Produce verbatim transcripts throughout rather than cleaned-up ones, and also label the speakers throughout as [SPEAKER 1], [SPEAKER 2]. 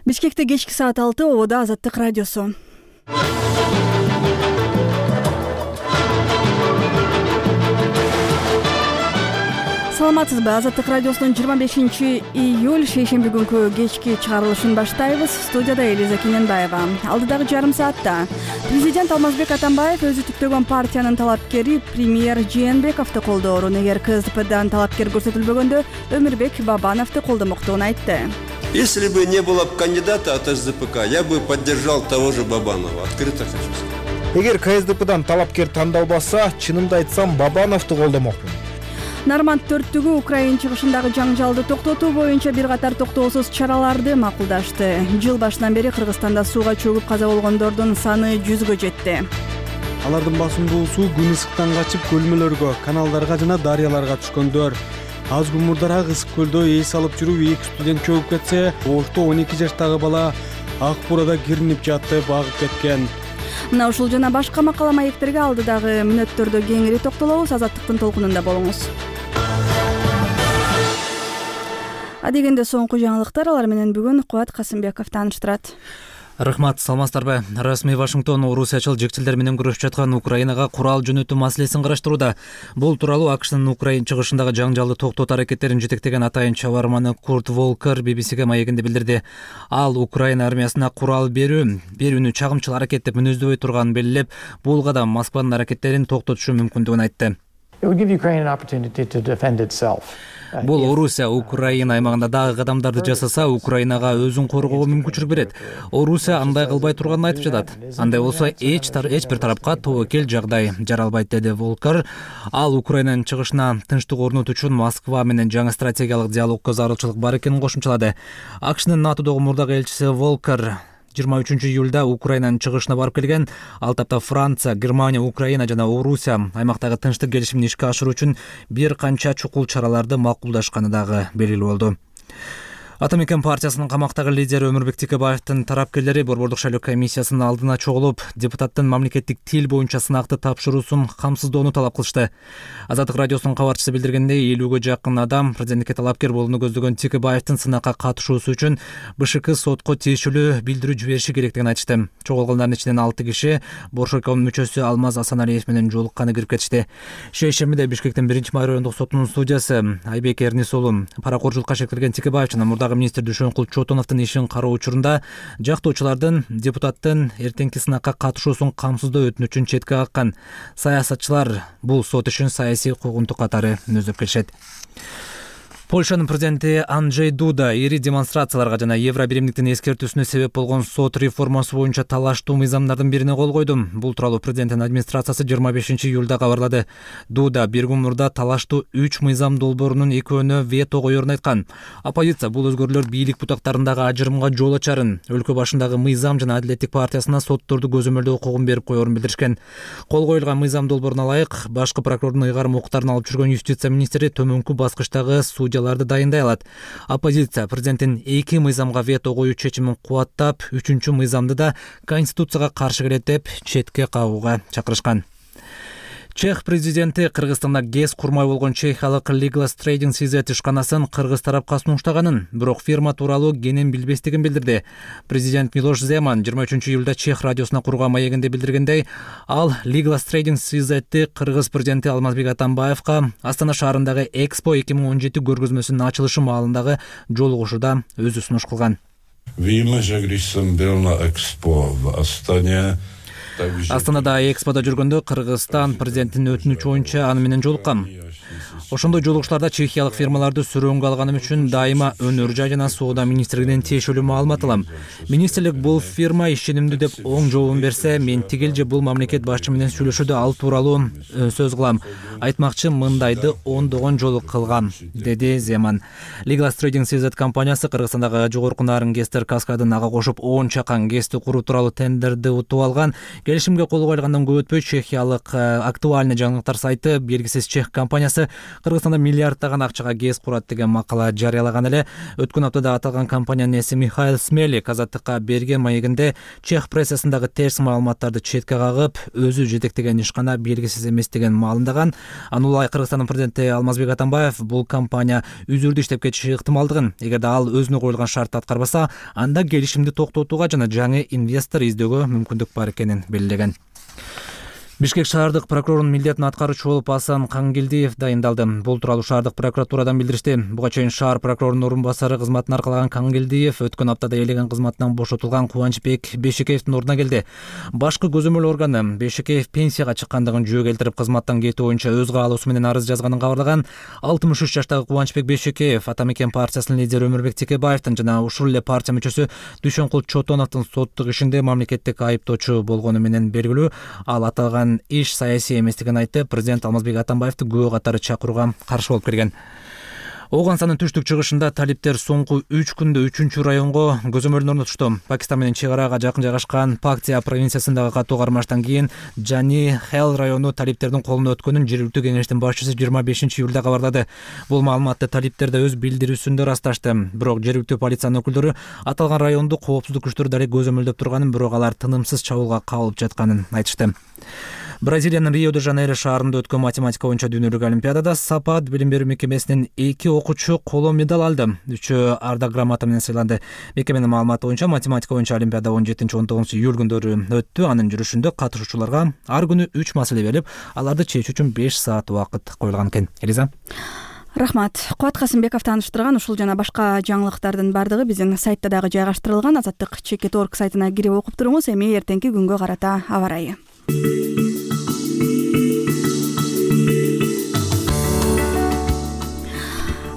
[SPEAKER 1] Бишкекте кечки саат алты, ободо Азаттык радиосу. Саламатсызбы? Азаттык радиосунун жыйырма бешинчи июль шейшемби күнкү кечки чыгарылышын баштайбыз. Студияда Элиза Кененбаева. Алдыдагы жарым саатта президент Алмазбек Атамбаев өзү түптөгөн партиянын талапкери премьер Жээнбековду колдоорун, эгер КСДПдан талапкер көрсөтүлбөгөндө Өмүрбек Бабановду колдомоктугун айтты.
[SPEAKER 2] Если бы не было кандидата от СДПК, я бы поддержал того же Бабанова. Открыто хочу сказать.
[SPEAKER 3] Эгер КСДПдан талапкер тандалбаса, чынымды айтсам, Бабановду колдомокмун.
[SPEAKER 1] Нарманд төрттүгү Украина чыгышындагы жаңжалды токтотуу боюнча бир катар токтоосуз чараларды макулдашты. Жыл башынан бери Кыргызстанда сууга чөгүп каза болгондордун саны жүзгө жетти.
[SPEAKER 4] Алардын басымдуусу күн ысыктан качып көлмөлөргө, каналдарга жана дарыяларга түшкөндөр. Аз гумурдарак ысык көлдө эс алып жүрүп эки студент чөгүп кетсе, Ошто он эки жаштагы бала ак бурада киринип жатты, багып кеткен.
[SPEAKER 1] Мына ушул жана башка макала маектерге алдыдагы мүнөттөрдө кеңири токтолобуз. Азаттыктын толкунунда болуңуз. Адегенде соңку жаңылыктар, алар менен бүгүн Кубат Касымбеков тааныштырат.
[SPEAKER 5] Рахмат, саламатсыздарбы? Расмий Вашингтон орусиячыл жекчилер менен күрөшүп жаткан Украинага курал жөнөтүү маселесин караштырууда. Бул тууралуу АКШнын Украина чыгышындагы жаңжалды токтотуу аракеттерин жетектеген атайын чабарманы Курт Волкер би би си маегинде билдирди. Ал Украина армиясына курал берүү, берүүнү чагымчыл аракет деп мүнөздөбөй турганын белгилеп, бул кадам Москванын аракеттерин токтотушу мүмкүндүгүн айтты. Бул Орусия Украина аймагында дагы кадамдарды жасаса, Украинага өзүн коргоого мүмкүнчүлүк берет. Орусия андай кылбай турганын айтып жатат. Андай болсо эч эч бир тарапка тобокел жагдай жаралбайт, деди Волкер. Ал Украинанын чыгышына тынчтык орнотуу үчүн Москва менен жаңы стратегиялык диалогко зарылчылык бар экенин кошумчалады. АКШнын НАТОдогу мурдагы элчиси Волкер жыйырма үчүнчү июлда Украинанын чыгышына барып келген. Ал тапта Франция, Германия, Украина жана Орусия аймактагы тынчтык келишимин ишке ашыруу үчүн бир канча чукул чараларды макулдашканы дагы белгилүү болду. Атамекен партиясынын камактагы лидери Өмүрбек Текебаевдин тарапкерлери Борбордук шайлоо комиссиясынын алдына чогулуп, депутаттын мамлекеттик тил боюнча сынакты тапшыруусун камсыздоону талап кылышты. Азаттык радиосунун кабарчысы билдиргендей, элүүгө жакын адам президентке талапкер болууну көздөгөн Текебаевдин сынакка катышуусу үчүн БШК сотко тиешелүү билдирүү жибериши керектигин айтышты. Чогулгандардын ичинен алты киши Боршокомдун мүчөсү Алмаз Асаналиев менен жолукканы кирип кетишти. Шейшембиде Бишкектин биринчи май райондук сотунун судьясы Айбек Эрнис уулу паракорчулукка шектелген Текебаев жана мурдагы министр Дүйшөнкул Чотоновдун ишин кароо учурунда жактоочулардын депутаттын эртеңки сынакка катышуусун камсыздоо өтүнүчүн четке каккан. Саясатчылар бул сот ишин саясий куугунтук катары мүнөздөп келишет. Польшанын президенти Анджей Дуда ири демонстрацияларга жана Евробиримдиктин эскертүүсүнө себеп болгон сот реформасы боюнча талаштуу мыйзамдардын бирине кол койду. Бул тууралуу президенттин администрациясы жыйырма бешинчи июлда кабарлады. Дуда бир күн мурда талаштуу үч мыйзам долбоорунун экөөнө вето коерун айткан. Оппозиция бул өзгөрүүлөр бийлик бутактарындагы ажырымга жол ачарын, өлкө башындагы мыйзам жана Адилеттик партиясына сотторду көзөмөлдөө укугун берип коерун билдиришкен. Кол коюлган мыйзам долбооруна ылайык, башкы прокурордун ыйгарым укуктарын алып жүргөн юстиция министри төмөнкү баскычтагы судья дайындай алат. Оппозиция президенттин эки мыйзамга вето коюу чечимин кубаттап, үчүнчү мыйзамды да конституцияга каршы келет деп четке кагууга чакырышкан. Чех президенти Кыргызстанда ГЭС курмай болгон чехиялык Legal Trading си зет ишканасын кыргыз тарапка сунуштаганын, бирок фирма тууралуу кенен билбестигин билдирди. Президент Милош Земан жыйырма үчүнчү июлда Чех радиосуна курган маегинде билдиргендей, ал Legal Trading си зетти кыргыз президенти Алмазбек Атамбаевка Астана шаарындагы Экспо эки миң он жети көргөзмөсүнүн ачылышы маалындагы жолугушууда өзү сунуш кылган.
[SPEAKER 6] Видимо, что Гришин был на Экспо в Астане.
[SPEAKER 5] Астанада Экспода жүргөндө Кыргызстан президентинин өтүнүчү боюнча аны менен жолуккам. Ошондой жолугуштарда чехиялык фирмаларды сүрөөнгө алганым үчүн дайыма өнөр жай жана соода министрлигинен тиешелүү маалымат алам. Министрлик бул фирма ишенимдүү деп оң жообун берсе, мен тигил же бул мамлекет башчы менен сүйлөшүүдө ал тууралуу сөз кылам. Айтмакчы, мындайды ондогон жолу кылгам, деди Земан. Legal Trading си зет компаниясы Кыргызстандагы жогорку нарын ГЭСтер каскадын ага кошуп он чакан ГЭСти куруу тууралуу тендерди утуп алган. Келишимге кол коюлгандан көп өтпөй чехиялык актуальный жаңылыктар сайты белгисиз чех компаниясы компаниясы Кыргызстанда миллиарддаган акчага ГЭС курат деген макала жарыялаган эле. Өткөн аптада аталган компаниянын ээси Михаил Смелик Азаттыкка берген маегинде чех прессасындагы терс маалыматтарды четке кагып, өзү жетектеген ишкана белгисиз эмес деген маалымдаган. Анулай Кыргызстандын президенти Алмазбек Атамбаев бул компания үзүрдү иштеп кетиши ыктымалдыгын, эгерде ал өзүнө коюлган шартты аткарбаса, анда келишимди токтотууга жана жаңы инвестор издөөгө мүмкүндүк бар экенин белгилеген. Бишкек шаардык прокурорунун милдетин аткаруучу болуп Асан Кангелдиев дайындалды. Бул тууралуу шаардык прокуратурадан билдиришти. Буга чейин шаар прокурорунун орун басары кызматын аркалаган Кангелдиев өткөн аптада элеген кызматынан бошотулган Кубанычбек Бешекеевдин ордуна келди. Башкы көзөмөл органы Бешекеев пенсияга чыккандыгын жөө келтирип, кызматтан кетүү боюнча өз каалоосу менен арыз жазганын кабарлаган. алтымыш үч жаштагы Кубанычбек Бешекеев Ата Мекен партиясынын лидери Өмүрбек Текебаевдин жана ушул эле партия мүчөсү Дүйшөнкул Чотоновдун соттук ишинде мамлекеттик айыптоочу болгону менен белгилүү. Ал аталган иш саясий эместигин айтып, президент Алмазбек Атамбаевди күбө катары чакырууга каршы болуп келген. Оогансанын түштүк чыгышында талиптер соңку үч күндө үчүнчү районго көзөмөлүн орнотушту. Пакистан менен чек арага жакын жайгашкан Пактия провинциясындагы катуу кармаштан кийин Жани Хел району талиптердин колуна өткөнүн жергиликтүү кеңештин башчысы жыйырма бешинчи июлда кабарлады. Бул маалыматты талиптер да өз билдирүүсүндө расташты. Бирок жергиликтүү полициянын өкүлдөрү аталган районду коопсуздук күчтөрү дале көзөмөлдөп турганын, бирок алар тынымсыз чабуулга кабылып жатканын айтышты. Бразилиянын Рио-де-Жанейро шаарында өткөн математика боюнча дүйнөлүк олимпиадада Сапат билим берүү мекемесинин эки окуучу коло медаль алды. Үчөө ардак грамота менен сыйланды. Мекеменин маалыматы боюнча математика боюнча олимпиада он жетинчи он тогузунчу июль күндөрү өттү. Анын жүрүшүндө катышуучуларга ар күнү үч маселе берилип, аларды чечүү үчүн беш саат убакыт коюлган экен. Элиза.
[SPEAKER 1] Рахмат. Кубат Касымбеков тааныштырган ушул жана башка жаңылыктардын бардыгы биздин сайтта дагы жайгаштырылган. Азаттык чекит точка орг сайтына кирип окуп туруңуз. Эми эртеңки күнгө карата аба ырайы.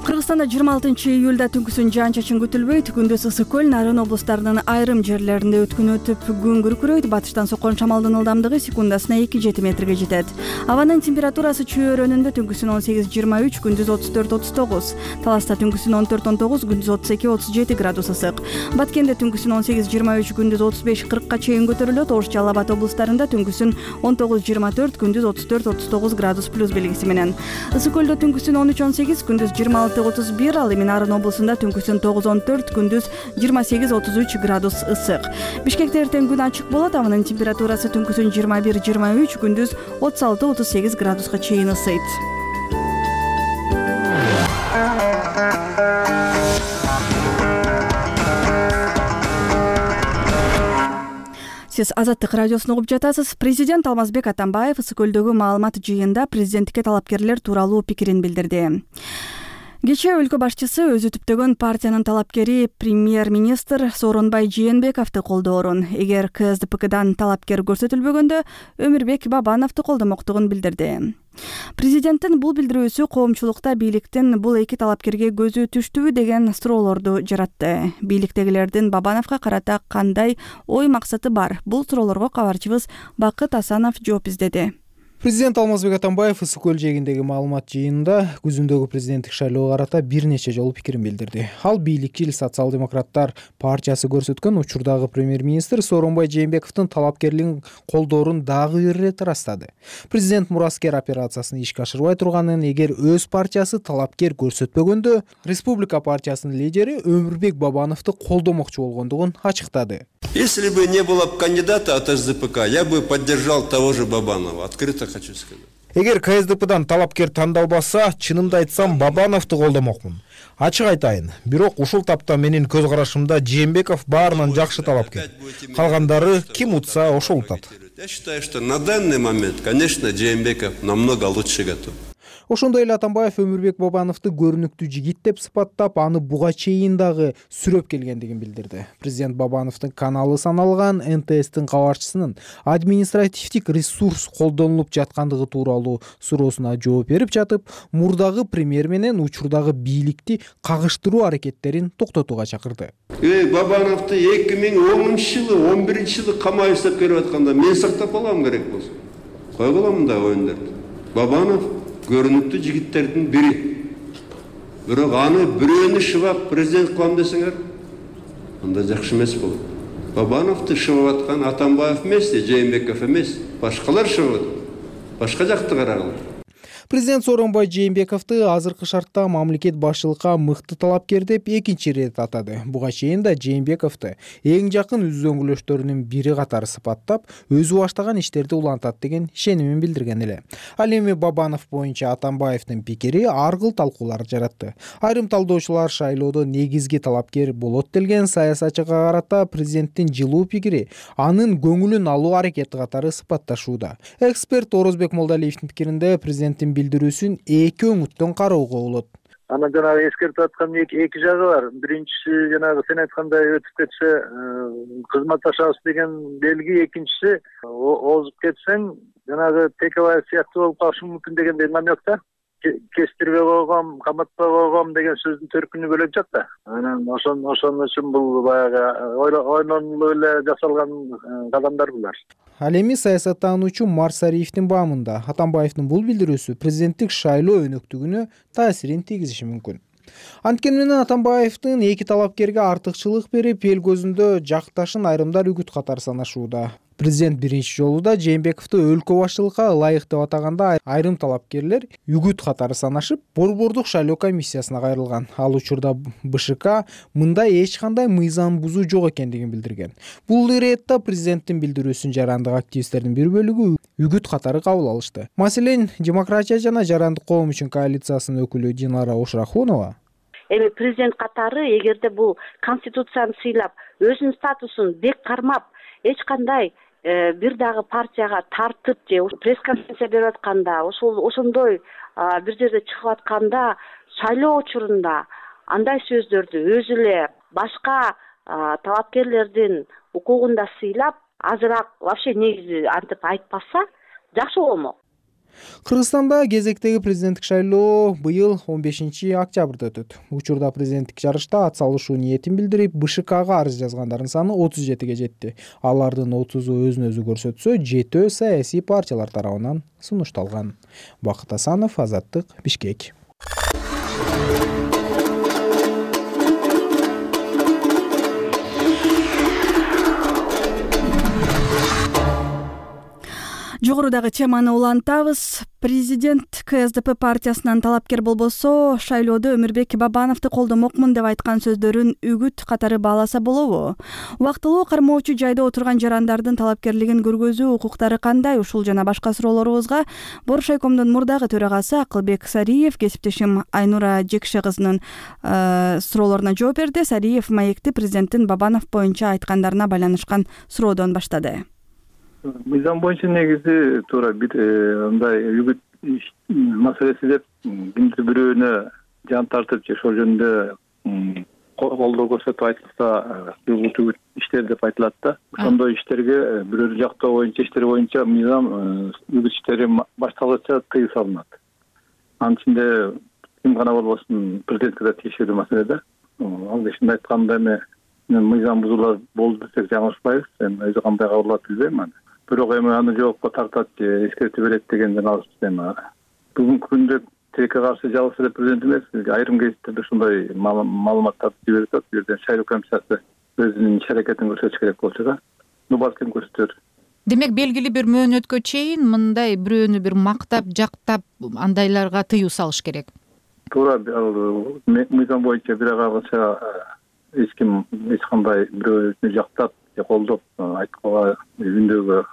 [SPEAKER 1] Кыргызстанда жыйырма алтынчы июлда түнкүсүн жаан-чачын күтүлбөйт. Күндүз ысык көл, Нарын облустарынын айрым жерлеринде өткүн өтүп, күн күркүрөйт. Батыштан соккон шамалдын ылдамдыгы секундасына эки жети метрге жетет. Абанын температурасы чөйрөнүндө түнкүсүн он сегиз жыйырма үч, күндүз отуз төрт отуз тогуз. Таласта түнкүсүн он төрт он тогуз, күндүз отуз эки отуз жети градус ысык. Баткенде түнкүсүн он сегиз жыйырма үч, күндүз отуз беш кыркка чейин көтөрүлөт. Ош, Жалал Абад облустарында түнкүсүн он тогуз жыйырма төрт, күндүз отуз төрт отуз тогуз градус плюс белгиси менен. Ысык көлдө түнкүсүн он үч он сегиз, күндүз жыйырма алты отуз бир, ал эми Нарын облусунда түнкүсүн тогуз он төрт, күндүз жыйырма сегиз отуз үч градус ысык. Бишкекте эртең күн ачык болот. Абанын температурасы түнкүсүн жыйырма бир жыйырма үч, күндүз отуз алты отуз сегиз градуска чейин ысыйт. Сиз Азаттык радиосун угуп жатасыз. Президент Алмазбек Атамбаев ысык көлдөгү маалымат жыйында президенттикке талапкерлер тууралуу пикирин билдирди. Кечээ өлкө башчысы өзү түптөгөн партиянын талапкери премьер-министр Сооронбай Жээнбековду колдоорун, эгер К С Д П Кдан талапкер көрсөтүлбөгөндө Өмүрбек Бабановду колдомоктугун билдирди. Президенттин бул билдирүүсү коомчулукта бийликтин бул эки талапкерге көзү түштүбү деген суроолорду жаратты. Бийликтегилердин Бабановго карата кандай ой максаты бар? Бул суроолорго кабарчыбыз Бакыт Асанов жооп издеди.
[SPEAKER 3] Президент Алмазбек Атамбаев ысык көл жээгиндеги маалымат жыйынында күзүндөгү президенттик шайлоого карата бир нече жолу пикирин билдирди. Ал бийликчил социал-демократтар партиясы көрсөткөн учурдагы премьер-министр Сооронбай Жээнбековдун талапкерлигин колдоорун дагы бир ирет ырастады. Президент мураскер операциясын ишке ашырбай турганын, эгер өз партиясы талапкер көрсөтпөгөндө Республика партиясынын лидери Өмүрбек Бабановду колдомокчу болгондугун ачыктады.
[SPEAKER 2] Если бы не было кандидата от С Д П К, я бы поддержал того же Бабанова. Открыто хочу сказать.
[SPEAKER 3] Эгер К С Д Пдан талапкер тандалбаса, чынымды айтсам Бабановду колдомокмун. Ачык айтайын, бирок ушул тапта менин көз карашымда Жээнбеков баарынан жакшы талапкер. Калгандары ким утса ошол утат.
[SPEAKER 2] Я считаю, что на данный момент, конечно, Жээнбеков намного лучше готов.
[SPEAKER 3] Ошондой эле Атамбаев Өмүрбек Бабановду көрүнүктүү жигит деп сыпаттап, аны буга чейин дагы сүрөп келгендигин билдирди. Президент Бабановдун каналы саналган Н Т Стин кабарчысынын административдик ресурс колдонулуп жаткандыгы тууралуу суроосуна жооп берип жатып, мурдагы премьер менен учурдагы бийликти кагыштыруу аракеттерин токтотууга чакырды.
[SPEAKER 2] Эй, Бабановду эки миң онунчу жылы, он биринчи жылы камай иштеп келип атканда мен сактап алам керек болсо. Койгула мындай оюндарды. Бабанов көрүнүктүү жигиттердин бири. Бирок аны бирөөнү шыбап президент кылам десеңер, анда жакшы эмес болот. Бабановду шыбап аткан Атамбаев эмес, Жээнбеков эмес, башкалар шыбап. Башка жакты карагыла.
[SPEAKER 3] Президент Сооронбай Жээнбековду азыркы шартта мамлекет башчылыкка мыкты талапкер деп экинчи ирет атады. Буга чейин да Жээнбековду эң жакын үзөңгүлөштөрүнүн бири катары сыпаттап, өзү баштаган иштерди улантат деген ишенимин билдирген эле. Ал эми Бабанов боюнча Атамбаевдин пикири ар кыл талкуулар жаратты. Айрым талдоочулар шайлоодо негизги талапкер болот делген саясатчыга карата президенттин жылуу пикири анын көңүлүн алуу аракети катары сыпатташууда. Эксперт Орозбек Молдалиевдин пикиринде президенттин билдирүүсүн эки өңүттөн кароого болот.
[SPEAKER 7] Анан жанагы эскертип аткан эки жагы бар. Биринчиси жанагы сен айткандай өтүп кетсе кызматташабыз деген белги, экинчиси озуп кетсең жанагы Текебаев сыяктуу болуп калышы мүмкүн дегендей намек да. Кестирбей койгом, каматпай койгом деген сөздүн төркүнү бөлөк жак да. Анан ошон ошон үчүн бул баягы ойлонулуп эле жасалган кадамдар булар.
[SPEAKER 3] Ал эми саясаттануучу Марсариевдин баамында Атамбаевдин бул билдирүүсү президенттик шайлоо өнөктүгүнө таасирин тийгизиши мүмкүн. Анткени менен Атамбаевдин эки талапкерге артыкчылык берип, эл көзүндө жакташын айрымдар үгүт катары санашууда. Президент биринчи жолу да Жээнбековду өлкө башчылыкка ылайык деп атаганда айрым талапкерлер үгүт катары санашып, Борбордук шайлоо комиссиясына кайрылган. Ал учурда БШК мындай эч кандай мыйзам бузуу жок экендигин билдирген. Бул иретте президенттин билдирүүсүн жарандык активисттердин бир бөлүгү үгүт катары кабыл алышты. Маселен, Демократия жана Жарандык коом үчүн коалициясынын өкүлү Динара Ошрахунова
[SPEAKER 8] эми президент катары эгерде бул конституцияны сыйлап, өзүнүн статусун бек кармап, эч кандай бир дагы партияга тартып же пресс-конференция берип атканда, ошол ошондой бир жерде чыгып атканда, шайлоо учурунда андай сөздөрдү өзү эле башка талапкерлердин укугунда сыйлап, азыраак вообще негизи антип айтпаса жакшы болмок.
[SPEAKER 3] Кыргызстанда кезектеги президенттик шайлоо быйыл он бешинчи октябрда өтөт. Учурда президенттик жарышта ат салышуу ниетин билдирип, БШКга арыз жазгандардын саны отуз жетиге жетти. Алардын отузу өзүн өзү көрсөтсө, жетөө саясий партиялар тарабынан сунушталган. Бакыт Асанов, Азаттык, Бишкек.
[SPEAKER 1] Жогорудагы теманы улантабыз. Президент КСДП партиясынан талапкер болбосо, шайлоодо Өмүрбек Бабановду колдомокмун деп айткан сөздөрүн үгүт катары бааласа болобу? Убактылуу кармоочу жайда отурган жарандардын талапкерлигин көргөзүү укуктары кандай? Ушул жана башка суроолорубузга Боршайкомдун мурдагы төрагасы Акылбек Сариев кесиптешим Айнура Жекше кызынын суроолоруна жооп берди. Сариев маекти президенттин Бабанов боюнча айткандарына байланышкан суроодон баштады.
[SPEAKER 7] Мыйзам боюнча негизи туура бир мындай үгүт маселеси деп кимдир бирөөнө жан тартып же ошол жөнүндө колдоо көрсөтүп айтылса үгүт иштер деп айтылат да. Ошондой иштерге бирөөнү жактоо боюнча иштер боюнча мыйзам үгүт иштери башталгыча тыюу салынат. Анын ичинде ким гана болбосун президентке да тиешелүү маселе да. Ал ишинде айтканда эми мыйзам бузуулар болду десек жаңылышпайбыз. Эми өзү кандай кабыл алат билбейм аны. Бирок эми аны жоопко тартат же эскертип берет деген жаңылыш эми. Бүгүнкү күндө тилекке каршы жалгыз эле президент эмес, айрым кездерде ушундай маалыматтарды жиберип атат. Бул жерден шайлоо комиссиясы өзүнүн иш аракетин көрсөтүш керек болчу да. Ну балким көрсөтөр.
[SPEAKER 9] Демек белгилүү бир мөөнөткө чейин мындай бирөөнү бир мактап, жактап андайларга тыюу салыш керек.
[SPEAKER 7] Туура, мыйзам боюнча бир агача эч ким эч кандай бирөөнү жактап же колдоп айтканга үндөгө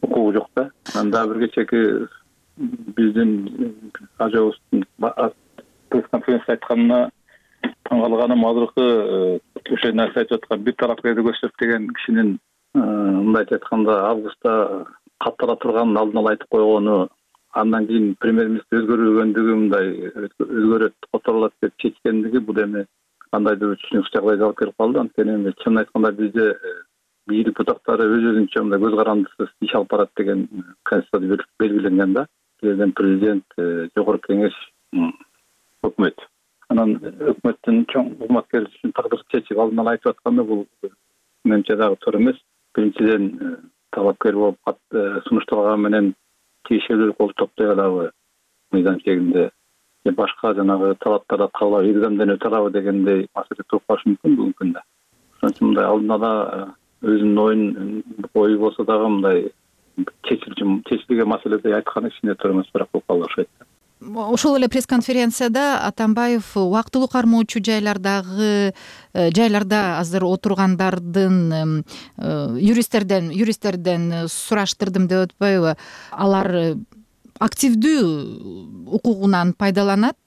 [SPEAKER 7] укугу жок да. Анда бир кечеки биздин ажыбыздын пресс-конференция айтканына таң калганым азыркы ошол нерсе айтып аткан бир талапкерди көрсөтүп деген кишинин мындай айтканда августта каттала турганын алдын ала айтып койгону, андан кийин премьер-министр өзгөрүлгөндүгү мындай өзгөрөт, которулат деп чечкендиги бул эми кандайдыр түшүнүксүз жагдайга алып келип калды. Анткени эми чынын айтканда бизде бийлик бутактары өз өзүнчө мындай көз карандысыз иш алып барат деген конституцияда белгиленген да. Бирден президент, жогорку кеңеш, өкмөт. Анан өкмөттүн чоң кызматкер үчүн тагдыр чечип алдын ала айтып атканда бул менимче дагы туура эмес. Биринчиден талапкер болуп сунушталган менен тиешелүү кол топтой алабы мыйзам чегинде, же башка жанагы талаптарды кабыл алып экзаменден өтө алабы дегендей маселе туруп калышы мүмкүн бүгүнкү күндө. Ошон үчүн мындай алдын ала өзүнүн оюн ою болсо дагы мындай чечилген маселеде айтканы кичине туура эмес, бирок бул калды окшойт.
[SPEAKER 9] Ошол эле пресс-конференцияда Атамбаев убактылуу кармоочу жайлардагы жайларда азыр отургандардын юристтерден юристтерден сураштырдым деп атпайбы, алар активдүү укугунан пайдаланат,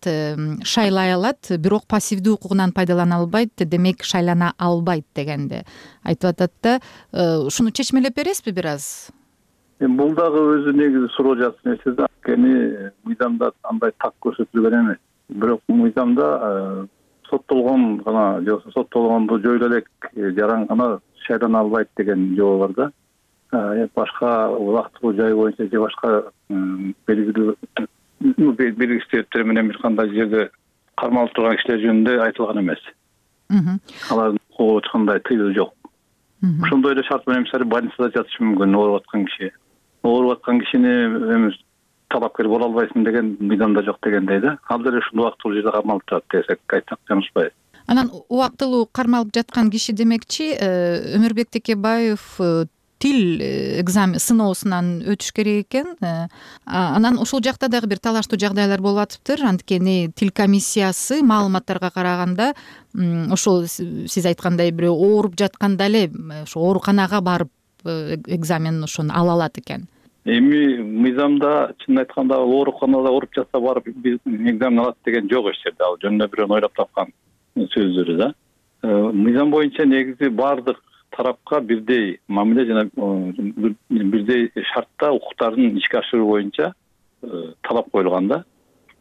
[SPEAKER 9] шайлай алат, бирок пассивдүү укугунан пайдалана албайт, демек шайлана албайт дегенди айтып атат да. Ушуну чечмелеп бересизби бир аз?
[SPEAKER 7] Бул дагы өзү негизи суроо жаткан нерсе да. Анткени мыйзамда андай так көрсөтүлгөн эмес. Бирок мыйзамда соттолгон гана же соттолгонду жойло элек жаран гана шайлана албайт деген жобо бар да. Башка убактылуу жай боюнча же башка белгилүү белгилүү себептер менен бир кандай жерде кармалып турган кишилер жөнүндө айтылган эмес. Алардын укугу эч кандай тыюу жок. Ошондой эле шарт менен мисалы больницада жатышы мүмкүн ооруп аткан киши. Ооруп аткан кишини эми талапкер боло албайсың деген мыйзамда жок дегендей да. Ал деле ушул убактылуу жерде кармалып турат десек айтсак жаңылышпайбыз.
[SPEAKER 9] Анан убактылуу кармалып жаткан киши демекчи Өмүрбек Текебаев тил экзамен сыноосунан өтүш керек экен. Анан ошол жакта дагы бир талаштуу жагдайлар болуп атыптыр. Анткени тил комиссиясы маалыматтарга караганда ошол сиз айткандай бирөө ооруп жатканда эле ошо ооруканага барып экзамен ошону ала алат экен.
[SPEAKER 7] Эми мыйзамда чынын айтканда ооруканада ооруп жатса барып экзамен алат деген жок эч жерде. Ал жөнүндө бирөө ойлоп тапкан сөздөрү да. Мыйзам боюнча негизи баардык тарапка бирдей мамиле жана бирдей шартта укуктарын ишке ашыруу боюнча талап коюлган да.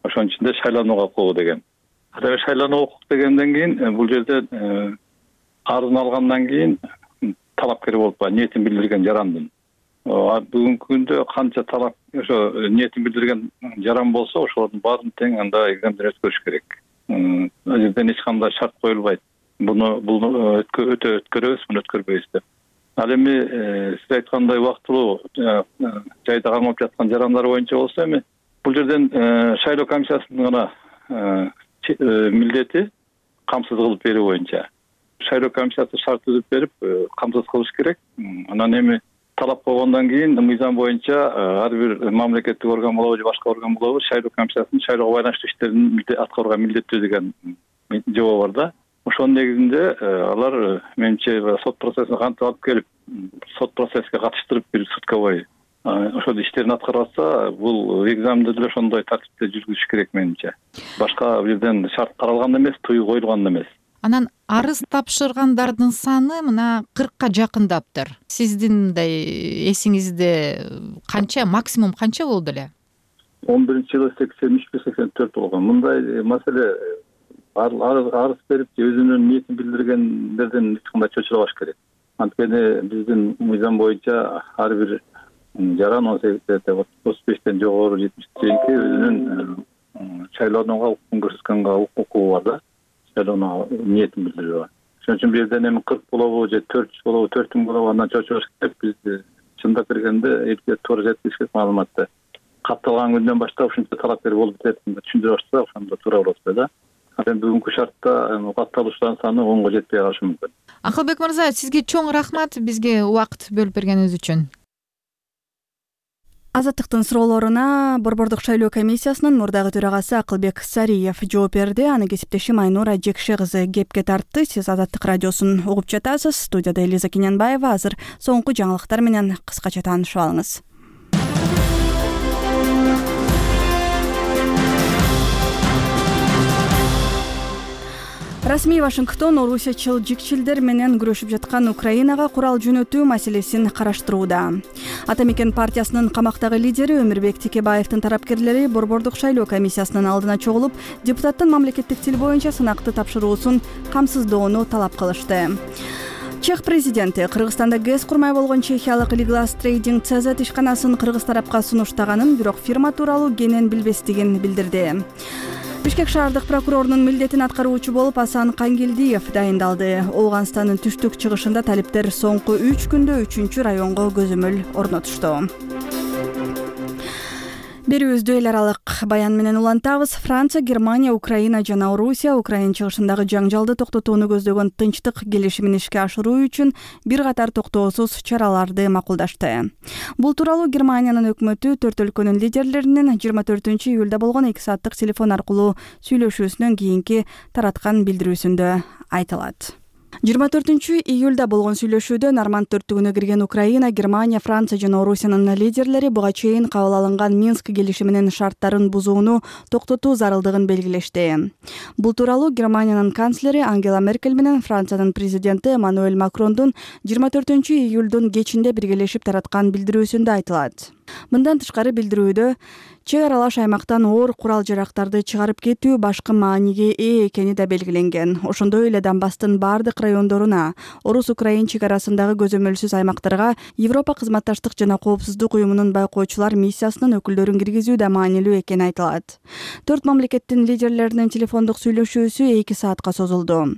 [SPEAKER 7] Ошонун ичинде шайланууга укугу деген. Ал шайлануу укук дегенден кийин бул жерде арызын алгандан кийин талапкер болуп ниетин билдирген жарандын. Бүгүнкү күндө канча талап ошо ниетин билдирген жаран болсо ошолордун баарын тең анда экзаменден өткөрүш керек. Ал жерден эч кандай шарт коюлбайт. Буну бул өтө өткөрөбүз, муну өткөрбөйбүз деп. Ал эми сиз айткандай убактылуу жайда кармалып жаткан жарандар боюнча болсо эми бул жерден шайлоо комиссиясынын гана милдети камсыз кылып берүү боюнча. Шайлоо комиссиясы шарт түзүп берип камсыз кылыш керек. Анан эми талап койгондон кийин мыйзам боюнча ар бир мамлекеттик орган болобу же башка орган болобу шайлоо комиссиясынын шайлоого байланыштуу иштерин аткарууга милдеттүү деген жобо бар да. Ошонун негизинде алар менимче сот процессине кантип алып келип, сот процесске катыштырып бир суткабой ошол иштерин аткарып атса, бул экзаменди деле ошондой тартипте жүргүзүш керек менимче. Башка бир жерден шарт каралган эмес, тыюу коюлган эмес.
[SPEAKER 9] Анан арыз тапшыргандардын саны мына кыркка жакындаптыр. Сиздин мындай эсиңизде канча, максимум канча болду эле?
[SPEAKER 7] он биринчи жылы сексен үч сексен төрт болгон. Мындай маселе арыз берип өзүнүн ниетин билдиргендерден эч кандай чочулабаш керек. Анткени биздин мыйзам боюнча ар бир жаран он сегизден отуз бештен жогору жетимишке чейинки өзүнүн шайлоонууга укугун көрсөткөнгө укугу бар да. Шайлоонууга ниетин билдирүү. Ошон үчүн бир жерден эми кырк болобу же төрт жүз болобу, төрт миң болобу андан чочулабаш керек. Биз чындап келгенде элге туура жеткизиш керек маалыматты. Катталган күндөн баштап ушунча талапкер болуп кетет деп түшүндүрүп атса, ошондо туура болот да. Анан бүгүнкү шартта катталуучулардын саны онго жетпей калышы мүмкүн.
[SPEAKER 9] Акылбек мырза, сизге чоң рахмат бизге убакыт бөлүп бергениңиз үчүн.
[SPEAKER 1] Азаттыктын суроолоруна Борбордук шайлоо комиссиясынын мурдагы төрагасы Акылбек Сариев жооп берди. Аны кесиптешим Айнура Жекше кызы кепке тартты. Сиз Азаттык радиосун угуп жатасыз. Студияда Элиза Кененбаева. Азыр соңку жаңылыктар менен кыскача таанышып алыңыз. Расмий Вашингтон орусиячыл жикчилдер менен күрөшүп жаткан Украинага курал жөнөтүү маселесин караштырууда. Ата мекен партиясынын камактагы лидери Өмүрбек Текебаевдин тарапкерлери Борбордук шайлоо комиссиясынын алдына чогулуп, депутаттын мамлекеттик тил боюнча сынакты тапшыруусун камсыздоону талап кылышты. Чех президенти Кыргызстанда гэс курмай болгон чехиялык Liglas Trading си зет ишканасын кыргыз тарапка сунуштаганын, бирок фирма тууралуу кенен билбестигин билдирди. Бишкек шаардык прокурорунун милдетин аткаруучу болуп Асан Кангелдиев дайындалды. Ооганстандын түштүк чыгышында талиптер соңку үч күндө үчүнчү районго көзөмөл орнотушту. Берүүбүздү эл аралык баян менен улантабыз. Франция, Германия, Украина жана Орусия Украина чыгышындагы жаңжалды токтотууну көздөгөн тынчтык келишимин ишке ашыруу үчүн бир катар токтоосуз чараларды макулдашты. Бул тууралуу Германиянын өкмөтү төрт өлкөнүн лидерлеринин жыйырма төртүнчү июлда болгон эки сааттык телефон аркылуу сүйлөшүүсүнөн кийинки тараткан билдирүүсүндө айтылат. жыйырма төртүнчү июлда болгон сүйлөшүүдө Норманд төрттүгүнө кирген Украина, Германия, Франция жана Орусиянын лидерлери буга чейин кабыл алынган Минск келишиминин шарттарын бузууну токтотуу зарылдыгын белгилешти. Бул тууралуу Германиянын канцлери Ангела Меркель менен Франциянын президенти Эммануэль Макрондун жыйырма төртүнчү июлдун кечинде биргелешип тараткан билдирүүсүндө айтылат. Мындан тышкары билдирүүдө чек аралаш аймактан оор курал жарактарды чыгарып кетүү башкы мааниге ээ экени да белгиленген. Ошондой эле Донбасстын бардык райондоруна, Орус-Украин чек арасындагы көзөмөлсүз аймактарга Европа кызматташтык жана коопсуздук уюмунун байкоочулар миссиясынын өкүлдөрүн киргизүү да маанилүү экени айтылат. Төрт мамлекеттин лидерлеринин телефондук сүйлөшүүсү эки саатка созулду.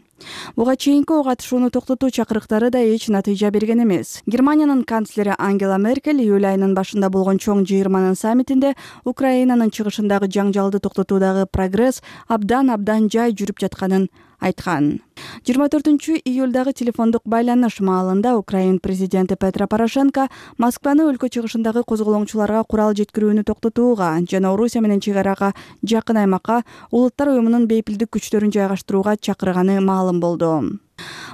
[SPEAKER 1] Буга чейинки ок атышууну токтотуу чакырыктары да эч натыйжа берген эмес. Германиянын канцлери Ангела Меркель июль айынын башында болгон чоң жыйырманын саммитинде Украинанын чыгышындагы жаңжалды токтотуудагы прогресс абдан абдан жай жүрүп жатканын айткан. жыйырма төртүнчү июлдагы телефондук байланыш маалында Украин президенти Петро Порошенко Москваны өлкө чыгышындагы козголоңчуларга курал жеткирүүнү токтотууга жана Орусия менен чек арага жакын аймакка Улуттар уюмунун бейпилдик күчтөрүн жайгаштырууга чакырганы маалым болду.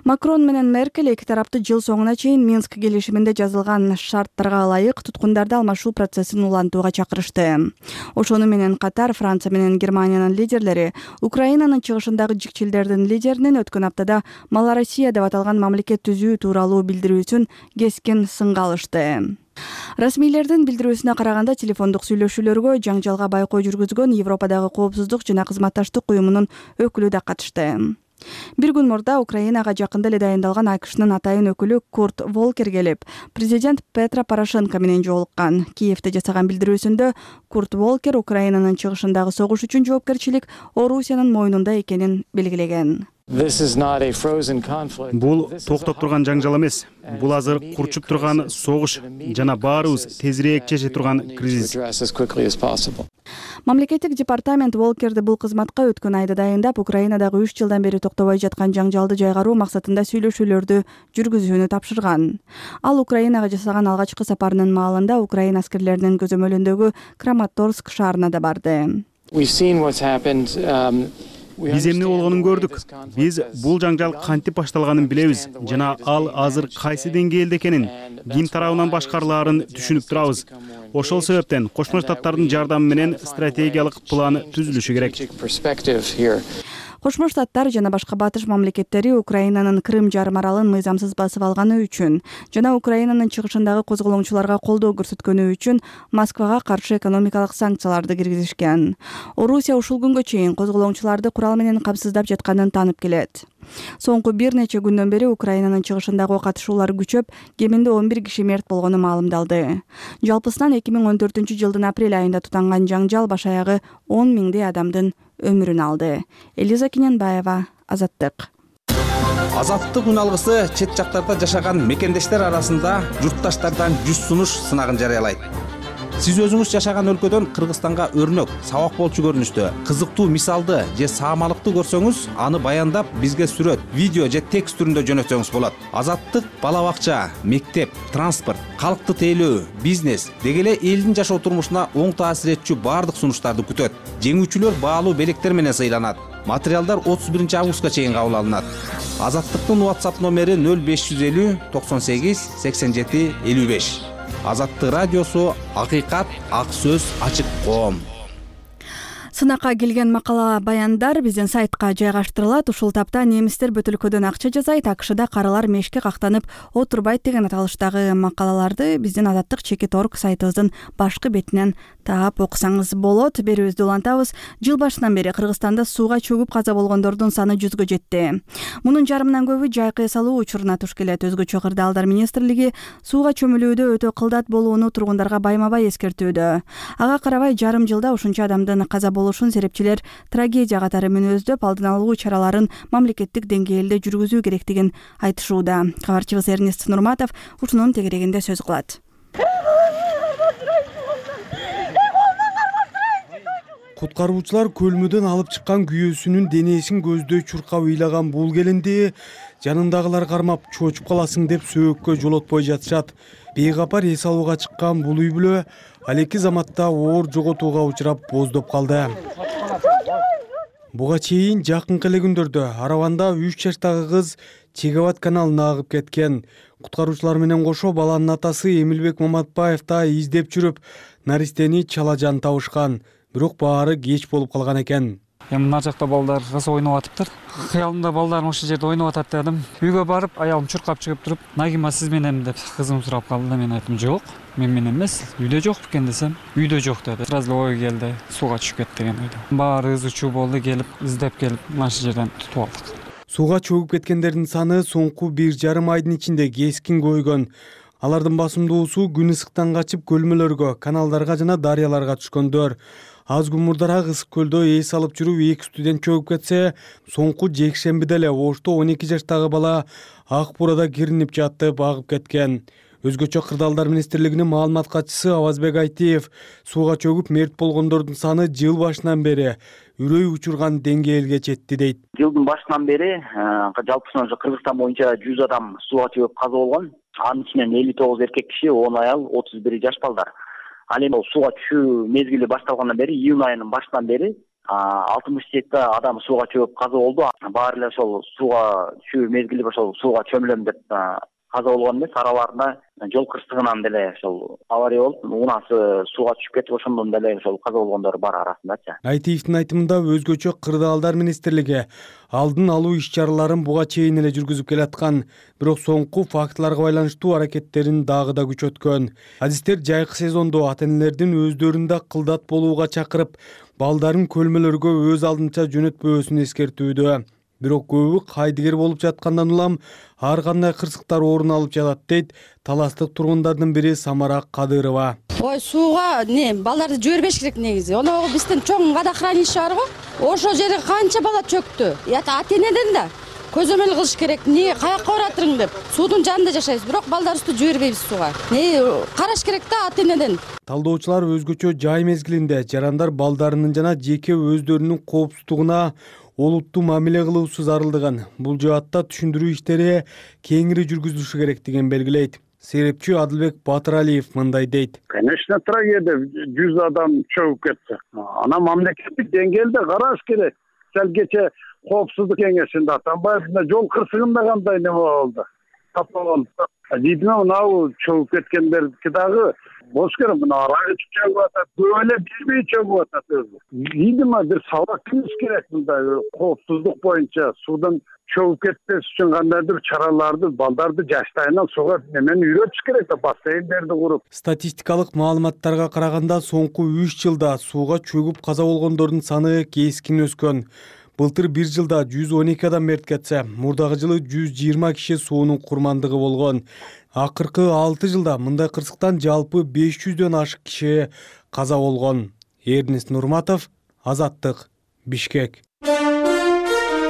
[SPEAKER 1] Макрон менен Меркель эки тарапты жыл соңуна чейин Минск келишиминде жазылган шарттарга ылайык туткундарды алмашуу процессин улантууга чакырышты. Ошону менен катар Франция менен Германиянын лидерлери Украинанын чыгышындагы жикчилдердин лидеринин өткөн аптада Малороссия деп аталган мамлекет түзүү тууралуу билдирүүсүн кескин сынга алышты. Расмийлердин билдирүүсүнө караганда телефондук сүйлөшүүлөргө жаңжалга байкоо жүргүзгөн Европадагы коопсуздук жана кызматташтык уюмунун өкүлү да катышты. Бир күн мурда Украинага жакында эле дайындалган АКШнын атайын өкүлү Курт Волкер келип, президент Петро Порошенко менен жолуккан. Киевде жасаган билдирүүсүндө Курт Волкер Украинанын чыгышындагы согуш үчүн жоопкерчилик Орусиянын мойнунда экенин белгилеген.
[SPEAKER 10] Бул токтоп турган жаңжал эмес. Бул азыр курчуп турган согуш жана баарыбыз тезирээк чече турган кризис.
[SPEAKER 1] Мамлекеттик департамент Волкерди бул кызматка өткөн айда дайындап, Украинадагы үч жылдан бери токтобой жаткан жаңжалды жайгаруу максатында сүйлөшүүлөрдү жүргүзүүнү тапшырган. Ал Украинага жасаган алгачкы сапарынын маалында Украин аскерлеринин көзөмөлүндөгү Краматорск шаарына да барды.
[SPEAKER 10] Биз эмне болгонун көрдүк. Биз бул жаңжал кантип башталганын билебиз жана ал азыр кайсы деңгээлде экенин, ким тарабынан башкарылаарын түшүнүп турабыз. Ошол себептен Кошмо Штаттардын жардамы менен стратегиялык план түзүлүшү керек.
[SPEAKER 1] Кошмо Штаттар жана башка батыш мамлекеттери Украинанын Крым жарым аралын мыйзамсыз басып алганы үчүн жана Украинанын чыгышындагы козголоңчуларга колдоо көрсөткөнү үчүн Москвага каршы экономикалык санкцияларды киргизишкен. Орусия ушул күнгө чейин козголоңчуларды курал менен камсыздап жатканын таанып келет. Соңку бир нече күндөн бери Украинанын чыгышындагы ок атышуулар күчөп, кеминде он бир киши мерт болгону маалымдалды. Жалпысынан эки миң он төртүнчү жылдын апрель айында тутанган жаңжал баш аягы он миңдей адамдын өмүрүн алды. Элиза Кененбаева, Азаттык.
[SPEAKER 11] Азаттык үн алгысы чет жактарда жашаган мекендештер арасында журтташтардан жүз сунуш сынагын жарыялайт. Сиз өзүңүз жашаган өлкөдөн Кыргызстанга өрнөк, сабак болчу көрүнүштө кызыктуу мисалды же саамалыкты көрсөңүз, аны баяндап бизге сүрөт, видео же текст түрүндө жөнөтсөңүз болот. Азаттык бала бакча, мектеп, транспорт, калкты тейлөө, бизнес деги эле элдин жашоо турмушуна оң таасир этчү бардык сунуштарды күтөт. Жеңүүчүлөр баалуу белектер менен сыйланат. Материалдар отуз биринчи августка чейин кабыл алынат. Азаттыктын WhatsApp номери нөл беш жүз элүү токсон сегиз сексен жети элүү беш. Азаттык радиосу, акыйкат, ак сөз, ачык коом.
[SPEAKER 1] Сынакка келген макала баяндар биздин сайтка жайгаштырылат. Ушул тапта немистер бүт өлкөдөн акча жасайт, АКШда каралар мешке кактанып отурбайт деген аталыштагы макалаларды биздин Азаттык чекит орг сайтыбыздын башкы бетинен таап окусаңыз болот. Берүүбүздү улантабыз. Жыл башынан бери Кыргызстанда сууга чөгүп каза болгондордун саны жүзгө жетти. Мунун жарымынан көбү жайкы эс алуу учуруна туш келет. Өзгөчө Кырдаалдар министрлиги сууга чөмүлүүдө өтө кылдат болууну тургундарга байма-бай эскертүүдө. Ага карабай жарым жылда ушунча адамдын каза болушун серепчилер трагедия катары мүнөздөп, алдын алуу чараларын мамлекеттик деңгээлде жүргүзүү керектигин айтышууда. Кабарчыбыз Эрнест Нурматов ушунун тегерегинде сөз кылат.
[SPEAKER 4] куткаруучулар көлмөдөн алып чыккан күйөөсүнүн денесин көздөй чуркап ыйлаган бул келинди жанындагылар кармап чочуп каласың деп сөөккө жолотпой жатышат. Бейкапар эс алууга чыккан бул үй бүлө ал эки заматта оор жоготууга учурап боздоп калды. Буга чейин жакынкы эле күндөрдө Араванда үч жаштагы кыз Чегабад каналына агып кеткен. Куткаруучулар менен кошо баланын атасы Эмилбек Маматбаев да издеп жүрүп, наристени чалажан табышкан. Бирок баары кеч болуп калган экен.
[SPEAKER 12] Эми мына жакта балдар кызы ойноп атыптыр. Кыялымда балдарым ошол жерде ойноп атат дедим. Үйгө барып, аялым чуркап чыгып туруп, "Нагима сиз менен" деп кызым сурап калды. Мен айттым, "Жок, мен менен эмес, үйдө жок экен" десем, "Үйдө жок" деди. Сразу ой келди, сууга түшүп кетти деген ойдо. Баары ыз чуу болду, келип издеп келип, мына ушул жерден тутуп алдык.
[SPEAKER 4] Сууга чөгүп кеткендердин саны соңку бир жарым айдын ичинде кескин көбөйгөн. Алардын басымдуусу күн ысыктан качып көлмөлөргө, каналдарга жана дарыяларга түшкөндөр. Аз күн мурдараак Ысык көлдө эс алып жүрүп эки студент чөгүп кетсе, соңку жекшембиде эле Ошто он эки жаштагы бала ак бурада киринип жатып агып кеткен. Өзгөчө Кырдаалдар министрлигинин маалымат катчысы Авазбек Айтиев сууга чөгүп мерт болгондордун саны жыл башынан бери үрөй учурган деңгээлге жетти дейт.
[SPEAKER 13] Жылдын башынан бери жалпысынан Кыргызстан боюнча жүз адам сууга чөгүп каза болгон. Анын ичинен элүү тогуз эркек киши, он аял, отуз бири жаш балдар. Ал эми сууга түшүү мезгили башталгандан бери, июнь айынын башынан бери алтымыш жети адам сууга чөгүп каза болду. Баары эле ошол сууга түшүү мезгили ошол сууга чөмүлөм деп каза болгон эмес, араларында жол кырсыгынан деле ошол авария болуп, унасы сууга түшүп кетип, ошондон деле ошол каза болгондор бар арасындачы.
[SPEAKER 4] Айтиевдин айтымында өзгөчө Кырдаалдар министрлиги алдын алуу иш-чараларын буга чейин эле жүргүзүп келаткан, бирок соңку фактыларга байланыштуу аракеттерин дагы да күчөткөн. Адистер жайкы сезондо ата-энелердин өздөрүн да кылдат болууга чакырып, балдарын көлмөлөргө өз алдынча жөнөтпөөсүн эскертүүдө. Бирок көбү кайдыгер болуп жаткандан улам ар кандай кырсыктар орун алып жатат дейт таластык тургундардын бири Самара Кадырова.
[SPEAKER 14] Ой, сууга не, балдарды жибербеш керек негизи. Оногу биздин чоң водохранилище бар го. Ошол жерге канча бала чөктү. Ата-энеден да көзөмөл кылыш керек. Не, каякка баратырың деп. Суудун жанында жашайбыз, бирок балдарыбызды жибербейбиз сууга. Не, караш керек да ата-энеден.
[SPEAKER 4] Талдоочулар өзгөчө жай мезгилинде жарандар балдарынын жана жеке өздөрүнүн коопсуздугуна олуттуу мамиле кылуусу зарылдыгын, бул жаатта түшүндүрүү иштери кеңири жүргүзүлүшү керектигин белгилейт. Серепчи Адылбек Батыралиев мындай дейт.
[SPEAKER 15] Конечно, трагедия, жүз адам чөгүп кетти. Ана мамлекеттик деңгээлде караш керек. Сел кече коопсуздук кеңешинде Атамбаев жол кырсыгында кандай неме болду? Тапалган. Дийдим, мынау чөгүп кеткендердики дагы болуш керек. Мына арагы чөгүп атат, көп эле билбей чөгүп атат өзү. Дийдим, бир сабак бериш керек мындай коопсуздук боюнча суудан чөгүп кетпеш үчүн кандайдыр чараларды, балдарды жаштайынан сууга немени үйрөтүш керек да, бассейндерди куруп.
[SPEAKER 4] Статистикалык маалыматтарга караганда соңку үч жылда сууга чөгүп каза болгондордун саны кескин өскөн. Былтыр бир жылда жүз он эки адам мерт кетсе, мурдагы жылы жүз жыйырма киши суунун курмандыгы болгон. Акыркы алты жылда мындай кырсыктан жалпы беш жүздөн ашык киши каза болгон. Эрнест Нурматов, Азаттык, Бишкек.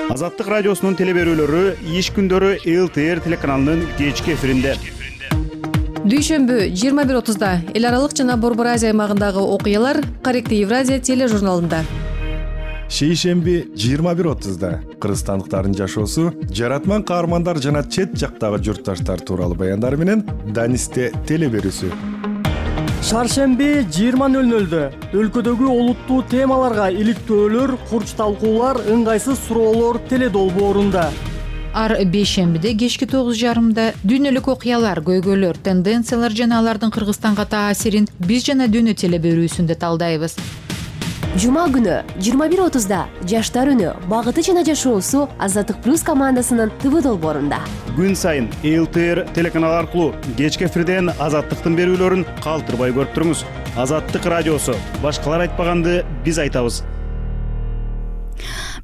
[SPEAKER 10] Азаттык радиосунун телеберүүлөрү иш күндөрү эл тэ эр телеканалынын кечки эфиринде.
[SPEAKER 16] Дүйшөмбү жыйырма бир отузда эл аралык жана Борбор Азия аймагындагы окуялар Каректи Евразия тележурналында.
[SPEAKER 17] Шейшемби жыйырма бир отузда кыргызстандыктардын жашоосу, жаратман каармандар жана чет жактагы журтташтар тууралуу баяндар менен Данисте телеберүүсү.
[SPEAKER 18] Шаршемби жыйырма нөл нөлдө өлкөдөгү олуттуу темаларга иликтөөлөр, курч талкуулар, ыңгайсыз суроолор теледолбоорунда.
[SPEAKER 9] Ар бейшембиде кечки тогуз жарымда дүйнөлүк окуялар, көйгөйлөр, тенденциялар жана алардын Кыргызстанга таасирин биз жана дүйнө телеберүүсүндө талдайбыз.
[SPEAKER 19] Жума күнү жыйырма бир отузда жаштар үнү, багыты жана жашоосу Азаттык плюс командасынын тэ вэ долбоорунда.
[SPEAKER 10] Күн сайын эл тэ эр телеканалы аркылуу кечки эфирден Азаттыктын берүүлөрүн калтырбай көрүп туруңуз. Азаттык радиосу, башкалар айтпаганды биз айтабыз.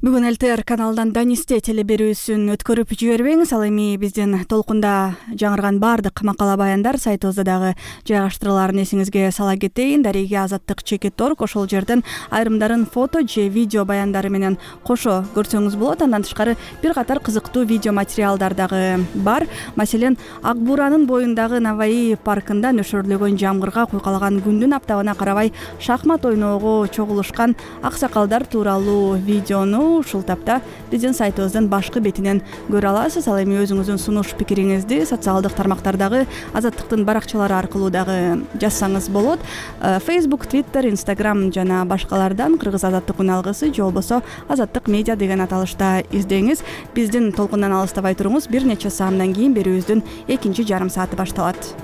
[SPEAKER 1] Бүгүн ЛТР каналынан Данисте телеберүүсүн өткөрүп жибербеңиз. Ал эми биздин толкунда жаңырган баардык макала баяндар сайтыбызда дагы жайгаштырылаарын эсиңизге сала кетейин. Дареге азаттык чекит орг ошол жерден айрымдарын фото же видео баяндары менен кошо көрсөңүз болот. Андан тышкары бир катар кызыктуу видео материалдар дагы бар. Маселен, Ак Бууранын боюндагы Наваи паркында нөшөрлөгөн жамгырга куйкалаган күндүн аптабына карабай шахмат ойноого чогулушкан аксакалдар тууралуу видеону ушул тапта биздин сайтыбыздын башкы бетинен көрө аласыз. Ал эми өзүңүздүн сунуш пикириңизди социалдык тармактардагы Азаттыктын баракчалары аркылуу дагы жазсаңыз болот. Facebook, Twitter, Instagram жана башкалардан Кыргыз Азаттык үн алгысы же болбосо Азаттык медиа деген аталышта издеңиз. Биздин толкундан алыстабай туруңуз. Бир нече саамдан кийин берүүбүздүн экинчи жарым сааты башталат.